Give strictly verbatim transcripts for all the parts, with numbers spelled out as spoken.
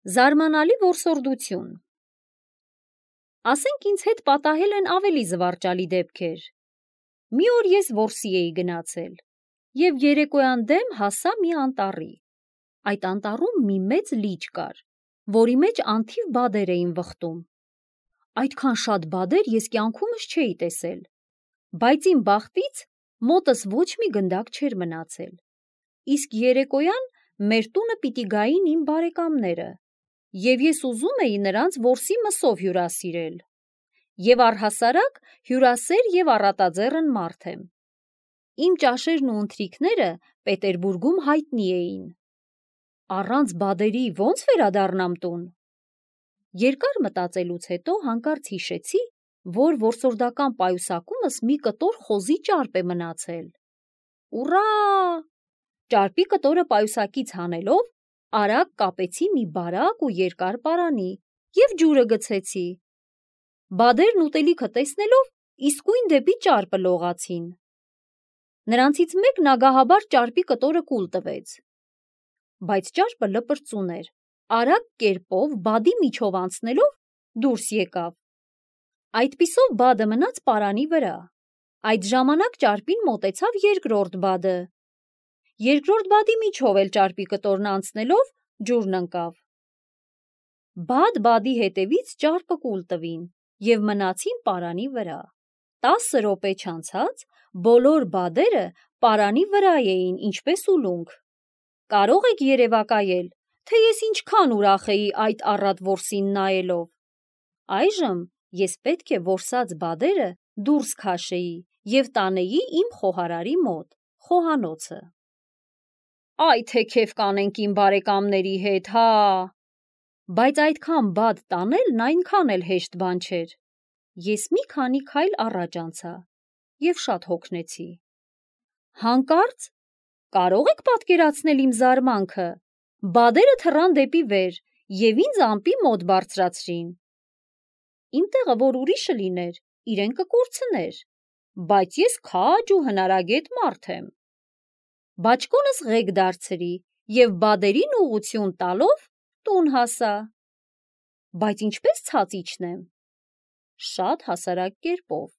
Զարմանալի որսորդություն։ Ասենք ինձ հետ պատահել են ավելի զվարճալի դեպքեր։ Մի օր ես որսի էի գնացել և երեկոյան դեմ հասա մի անտառի։ Այդ անտառում մի մեծ լիճ կար, որի մեջ անթիվ բադեր էին վխտում։ Այդքան շատ բադեր ես կյանքումս չէի տեսել, բայց իմ բախտից մոտս ոչ մի գնդակ չէր մնացել։ Իսկ երեկոյան մեր տունը պիտի գային իմ բարեկամները, և ես ուզում էի նրանց որսի մսով հյուրասիրել, և առհասարակ հյուրասեր և առատաձեռն մարդ եմ։ Իմ ճաշերն ու ընթրիքները Պետերբուրգում հայտնի էին։ Առանց բադերի ո՞նց վերադառնամ տուն։ Երկար մտածելուց հետո հանկարծ հիշեցի, որ որսորդական պայուսակումս մի կտոր խոզի ճարպ է մնացել։ Ուռա! Ճարպի կտորը պայուսակից հանելով, արագ կապեցի մի բարակ ու երկար պարանի և ջուրը գցեցի։ Բադերն ուտելիքը տեսնելով իսկույն դեպի ճարպը լողացին։ Նրանցից մեկն ագահաբար ճարպի կտորը կուլ տվեց, բայց ճարպը լպրծուն էր, արագ կերպով բադի միջով անցնելով դուրս եկավ։ Այդպիսով բադը մնաց պարանի վրա։ Այդ ժամանակ ճարպին մոտեցավ երկրորդ բադը։ Երկրորդ բադի միջով էլ ճարպի կտորն անցնելով ջուրն ընկավ։ Բադ բադի հետևից ճարպը կուլ տվին և մնացին պարանի վրա։ Տասը րոպե չանցած բոլոր բադերը պարանի վրա էին ինչպես ուլունք։ Կարո՞ղ եք երևակայել, թե ես ինչքան ուրախ էի այդ առատ որսին նայելով։ Այժմ ես պետք է որսած բադերը դուրս քաշեի և տանեի իմ խոհարարի մոտ, խոհանոցը։ Այ թե քեֆ կանենք իմ բարեկամների հետ, հա։ Բայց այդքան բադ տանելն այնքան էլ հեշտ բան չէր։ Ես մի քանի քայլ առաջ անցա և շատ հոգնեցի։ Հանկարծ, կարո՞ղ եք պատկերացնել իմ զարմանքը, բադերը թռան դեպի վեր և ինձ ամպի մոտ բարձրացրին։ Իմ տեղը որ ուրիշը լիներ, իրեն կկորցներ, բայց ես քաջ ու հնարագետ մարդ եմ։ Բաճկոնս ղեկ դարձրի և բադերին ուղղություն տալով տուն հասա։ Բայց ինչպե՞ս ցած իջնեմ։ Շատ հասարակ կերպով։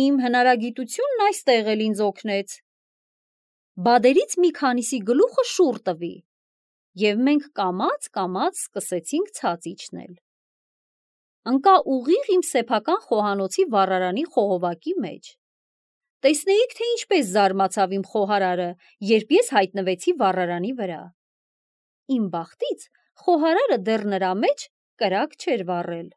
Իմ հնարագիտությունն այստեղ էլ ինձ օգնեց։ Բադերից մի քանիսի գլուխը շուռ տվի, և մենք կամաց-կամաց սկսեցինք ցած իջնել։ Ընկա ուղիղ իմ սեփական խոհանոցի վառարանի խողովակի մեջ։ Տեսնեիք, թե ինչպես զարմացավ իմ խոհարարը, երբ ես հայտնվեցի վառարանի վրա։ Իմ բախտից խոհարարը դեռ նրա մեջ կրակ չէր վառել։